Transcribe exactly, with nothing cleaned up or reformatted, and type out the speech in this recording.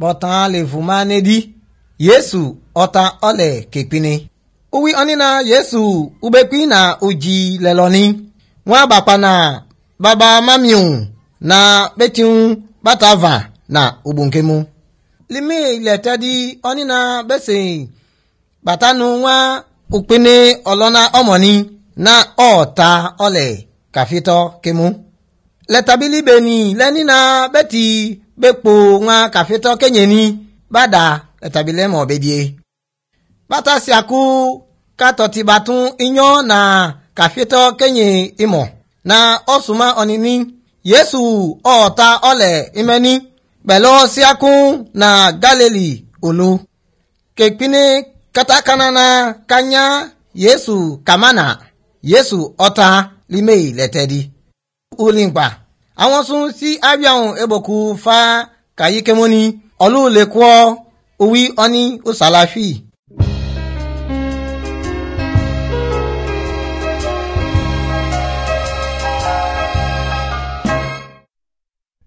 Bọ̀tán lè fún nedi Yesu ọta ọlẹ̀ kekpini. Uwi ọnịna Yesu ubekwi na uji lelọni. Nwa bakpa na baba mamiu na betiun batava na ubunkemu. Limi lẹtẹdi ọnịna bese batanu nwa ukpene ọlọna ọmọni na ọta ọlẹ̀ kafitọ kemu. Lẹtabili beni lẹnina bẹti bekpo nwa kafitọ kenyeni bada lẹtabili mọ bedie. Bata siaku katọti batun inyo na kafitọ kenye imo na ọsuma ọnini Yesu ọta ọlẹ̀ imẹni pẹ̀lú siaku na Galili olu. Kekpini katakana na kanya Yesu kamana Yesu ọta lime lẹtẹdi. Ulimkpa àwọn sun si abiahun eboku fa kayikemoni ọlụ lekwọ uwi ọni usalafi.